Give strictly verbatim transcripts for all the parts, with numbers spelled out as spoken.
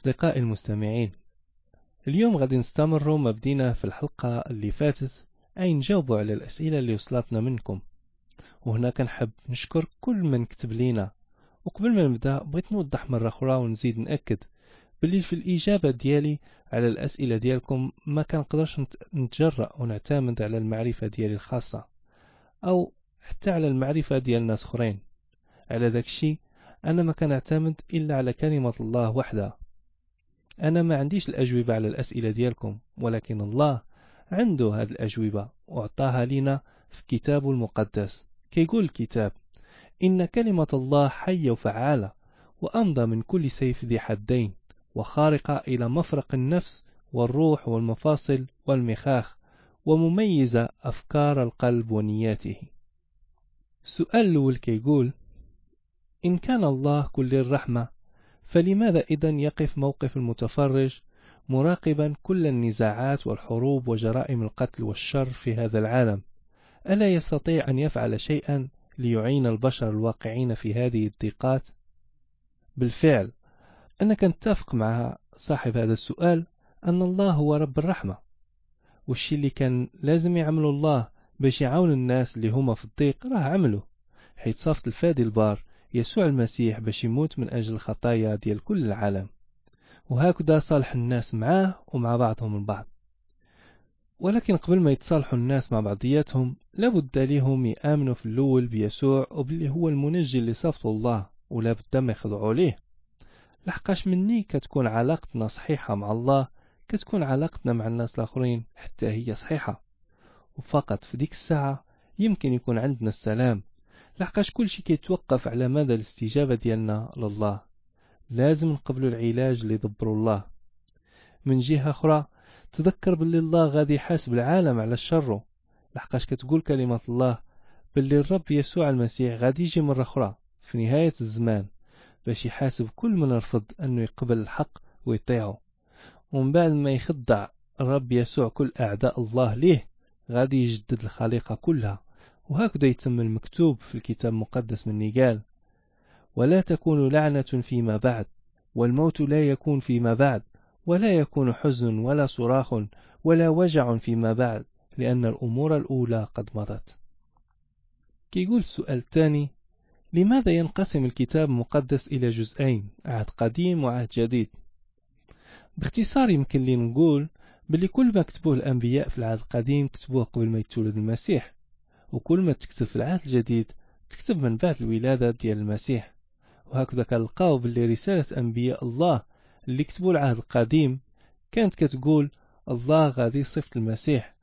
أصدقائي المستمعين، اليوم غادي نستمروا ما بدينا في الحلقة اللي فاتت، أي نجاوبوا على الأسئلة اللي وصلتنا منكم. وهنا كنحب نشكر كل من كتب لينا. وقبل ما نبدا بغيت نوضح مرة أخرى ونزيد نأكد باللي في الإجابة ديالي على الأسئلة ديالكم ما كنقدرش نتجرأ ونعتمد على المعرفة ديالي الخاصة أو حتى على المعرفة ديال ناس أخرين. على ذاك الشيء أنا ما كنعتمد إلا على كلمة الله وحدها. أنا ما عنديش الأجوبة على الأسئلة ديالكم، ولكن الله عنده هذه الأجوبة وأعطاها لنا في كتابه المقدس. كيقول الكتاب: إن كلمة الله حية وفعالة وأمضى من كل سيف ذي حدين، وخارقة إلى مفرق النفس والروح والمفاصل والمخاخ، ومميزة أفكار القلب ونياته. السؤال الأول كيقول: إن كان الله كل الرحمة، فلماذا إذن يقف موقف المتفرج مراقبا كل النزاعات والحروب وجرائم القتل والشر في هذا العالم؟ ألا يستطيع أن يفعل شيئا ليعين البشر الواقعين في هذه الضيقات؟ بالفعل أنا كنتفق مع صاحب هذا السؤال أن الله هو رب الرحمة، والشي اللي كان لازم يعمله الله باش يعاون الناس اللي هما في الضيق راه عمله، حيث صافت الفادي البار يسوع المسيح باش يموت من أجل الخطايا ديال كل العالم، وهكذا صالح الناس معاه ومع بعضهم البعض. ولكن قبل ما يتصالحوا الناس مع بعضياتهم لابد ليهم يآمنوا في الأول بيسوع وباللي هو المنجي اللي صافته الله، ولا بد ما يخضعوا ليه. لحقاش مني كتكون علاقتنا صحيحة مع الله كتكون علاقتنا مع الناس الآخرين حتى هي صحيحة، وفقط في ديك الساعة يمكن يكون عندنا السلام. لحقاش كل شيء كيتوقف على مدى الاستجابة ديالنا لله. لازم نقبلوا العلاج اللي دبروا الله. من جهة أخرى تذكر باللي الله غادي يحاسب العالم على شره، لحقاش كتقول كلمة الله باللي الرب يسوع المسيح غادي يجي مرة أخرى في نهاية الزمان باش يحاسب كل من رفض أنه يقبل الحق ويطيعه. ومن بعد ما يخضع الرب يسوع كل أعداء الله ليه غادي يجدد الخليقة كلها، وهكذا يتم المكتوب في الكتاب المقدس من قال: ولا تكون لعنة فيما بعد، والموت لا يكون فيما بعد، ولا يكون حزن ولا صراخ ولا وجع فيما بعد، لأن الأمور الأولى قد مضت. كيقول السؤال الثاني: لماذا ينقسم الكتاب المقدس إلى جزئين، عهد قديم وعهد جديد؟ باختصار يمكن لي نقول بلي كل ما كتبوه الأنبياء في العهد القديم كتبوه قبل ما يتولد المسيح، وكل ما تكتب في العهد الجديد تكتب من بعد الولادة ديال المسيح. وهكذا كنلقاو باللي رسالة أنبياء الله اللي كتبوا العهد القديم كانت كتقول الله غادي يصفت المسيح،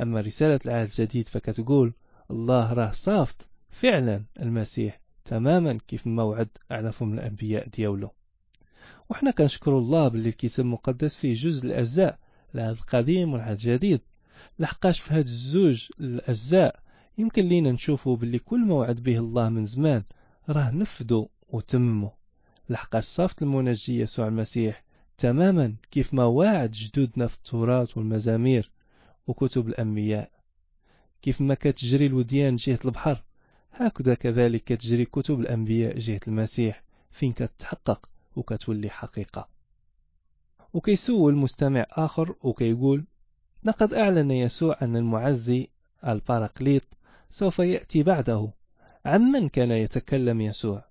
أما رسالة العهد الجديد فكتقول الله راه صافت فعلا المسيح تماما كيف ما وعد على فم الأنبياء ديالو. وحنا كنشكر الله باللي الكتاب المقدس فيه جزء الأجزاء، العهد القديم والعهد الجديد، لحقاش في هاد الزوج الأجزاء يمكن لينا نشوفوا باللي كل ما وعد به الله من زمان راه نفذوا وتمموا، لحقاش صافت المنجي يسوع المسيح تماما كيف ما وعد جدودنا في التوراة والمزامير وكتب الأنبياء. كيف ما كتجري الوديان جهة البحر هكذا كذلك كتجري كتب الأنبياء جهة المسيح، فين كتحقق وكتولي حقيقة. وكيسول مستمع آخر وكيقول: لقد أعلن يسوع أن المعزي الباراقليط سوف يأتي بعده، عمن كان يتكلم يسوع؟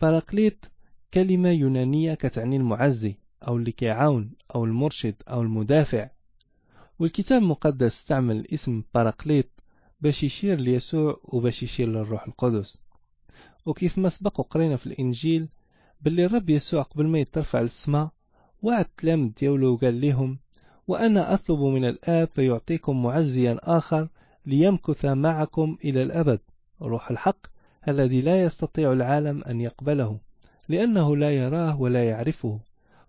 باراقليط كلمة يونانية كتعني المعزي أو اللي كيعاون أو المرشد أو المدافع، والكتاب المقدس استعمل اسم باراقليط باش يشير ليسوع وباش يشير للروح القدس. وكيف ما سبق وقرينا في الإنجيل باللي الرب يسوع قبل ما يترفع للسماء وعد التلاميذ ديالو وقال لهم: وأنا أطلب من الآب فيعطيكم معزيا آخر ليمكث معكم إلى الأبد، روح الحق الذي لا يستطيع العالم أن يقبله لأنه لا يراه ولا يعرفه،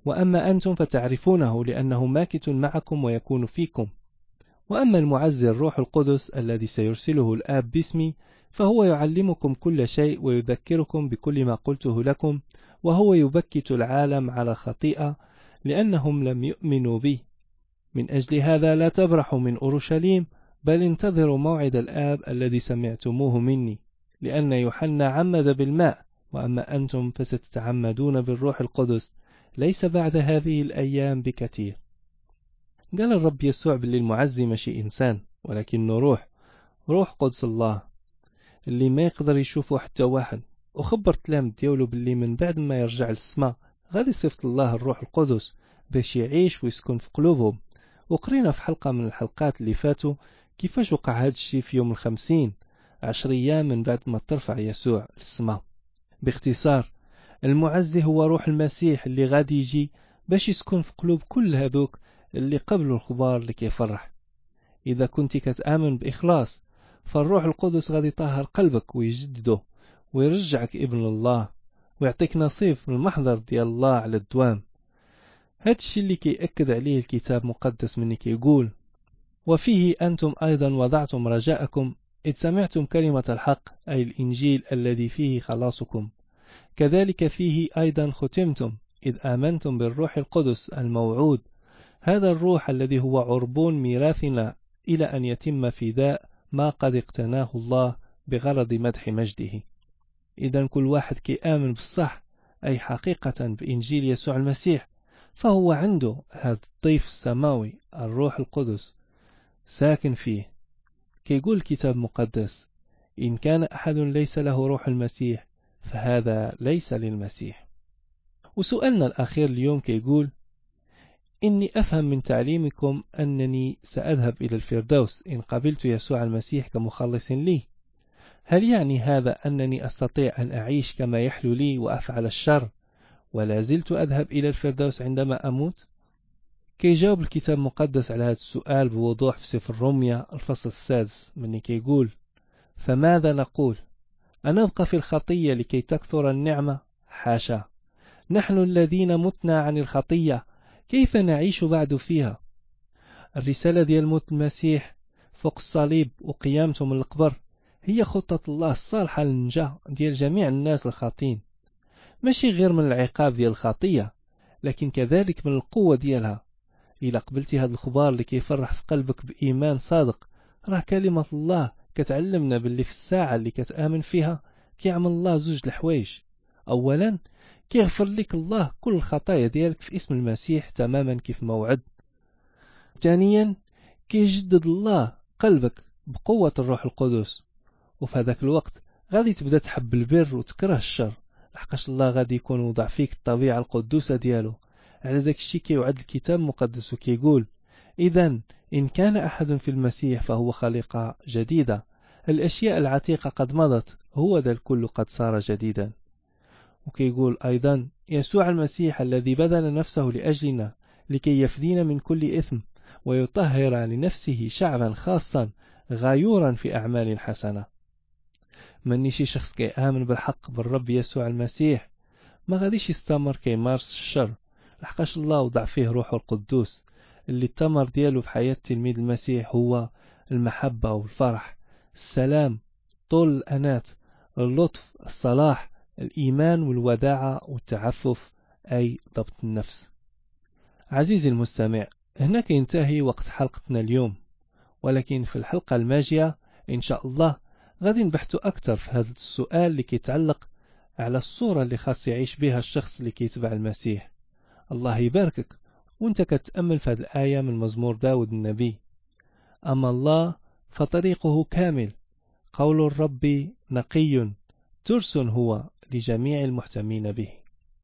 وأما أنتم فتعرفونه لأنه ماكث معكم ويكون فيكم. وأما المعزي الروح القدس الذي سيرسله الآب باسمي فهو يعلمكم كل شيء ويذكركم بكل ما قلته لكم، وهو يبكت العالم على خطيئة لأنهم لم يؤمنوا به. من أجل هذا لا تبرحوا من أورشليم، بل انتظروا موعد الآب الذي سمعتموه مني، لأن يوحنا عمد بالماء، وأما أنتم فستتعمدون بالروح القدس ليس بعد هذه الأيام بكثير. قال الرب يسوع باللي المعزي ماشي إنسان، ولكنه روح، روح قدس الله اللي ما يقدر يشوفه حتى واحد. وخبر تلام ديالو باللي من بعد ما يرجع للسماء غادي يصيفط الله الروح القدس باش يعيش ويسكن في قلوبهم. وقرينا في حلقة من الحلقات اللي فاتوا كيفاش وقع هذا الشيء في يوم الخمسين، عشر أيام من بعد ما ترفع يسوع للسماء. باختصار، المعزي هو روح المسيح اللي غادي يجي باش يسكن في قلوب كل هذوك اللي قبلوا الخبار اللي كيفرح. إذا كنت كتآمن بإخلاص فالروح القدس غادي يطهر قلبك ويجدده ويرجعك ابن الله ويعطيك نصيب من المحضر ديال الله على الدوام. هذا الشيء اللي كيأكد عليه الكتاب المقدس مني كيقول: وفيه أنتم أيضا وضعتم رجاءكم إذ سمعتم كلمة الحق، أي الإنجيل الذي فيه خلاصكم، كذلك فيه أيضا ختمتم إذ آمنتم بالروح القدس الموعود، هذا الروح الذي هو عربون ميراثنا إلى أن يتم فداء ما قد اقتناه الله بغرض مدح مجده. إذا كل واحد كيآمن بالصح، أي حقيقة بإنجيل يسوع المسيح، فهو عنده هذا الضيف السماوي الروح القدس ساكن فيه. كيقول الكتاب المقدس: إن كان أحد ليس له روح المسيح فهذا ليس للمسيح. وسؤالنا الأخير اليوم كيقول: إني أفهم من تعليمكم أنني سأذهب إلى الفردوس إن قبلت يسوع المسيح كمخلص لي. هل يعني هذا أنني أستطيع أن أعيش كما يحلو لي وأفعل الشر ولا زلت أذهب إلى الفردوس عندما أموت؟ كيجاوب الكتاب المقدس على هذا السؤال بوضوح في سفر روميا الفصل السادس من كيقول: فماذا نقول؟ أنبقى في الخطية لكي تكثر النعمة؟ حاشا، نحن الذين متنا عن الخطية كيف نعيش بعد فيها؟ الرسالة ديال موت المسيح فوق الصليب وقيامته من القبر هي خطة الله الصالحة للنجاة ديال جميع الناس الخاطئين، ماشي غير من العقاب ديال الخطية، لكن كذلك من القوة ديالها. إلا قبلتي هذا الخبار اللي كيفرح في قلبك بإيمان صادق، راه كلمة الله كتعلمنا باللي في الساعة اللي كتآمن فيها كيعمل الله زوج الحوايج. أولا كيغفر لك الله كل الخطايا ديالك في اسم المسيح تماما كيف ما وعد. ثانيا كيجدد الله قلبك بقوة الروح القدس، وفي هذاك الوقت غادي تبدا تحب البر وتكره الشر، لحقاش الله غادي يكون وضع فيك الطبيعة القدوسة ديالو. على ذاك الشيء كيوعد الكتاب المقدس وكيقول: إذا إن كان أحد في المسيح فهو خليقة جديدة، الأشياء العتيقة قد مضت، هو ذا الكل قد صار جديدا. وكيقول أيضا: يسوع المسيح الذي بذل نفسه لأجلنا لكي يفدينا من كل إثم ويطهر لنفسه شعبا خاصا غيورا في أعمال حسنة. مني شي شخص كيآمن بالحق بالرب يسوع المسيح ما غاديش يستمر كيمارس الشر، لحقاش الله وضع فيه روحه القدوس اللي الثمر ديالو في حياة تلميذ المسيح هو المحبة والفرح، السلام، طول الأنات، اللطف، الصلاح، الإيمان والوداعة والتعفف، أي ضبط النفس. عزيزي المستمع، هنا كينتهي وقت حلقتنا اليوم، ولكن في الحلقة الماجية إن شاء الله غادي نبحثوا أكثر في هذا السؤال اللي كيتعلق على الصورة اللي خاص يعيش بها الشخص اللي كيتبع المسيح. الله يباركك وانت كتأمل في هذه الآية من مزمور داود النبي: أما الله فطريقه كامل، قول الرب نقي، ترس هو لجميع المحتمين به.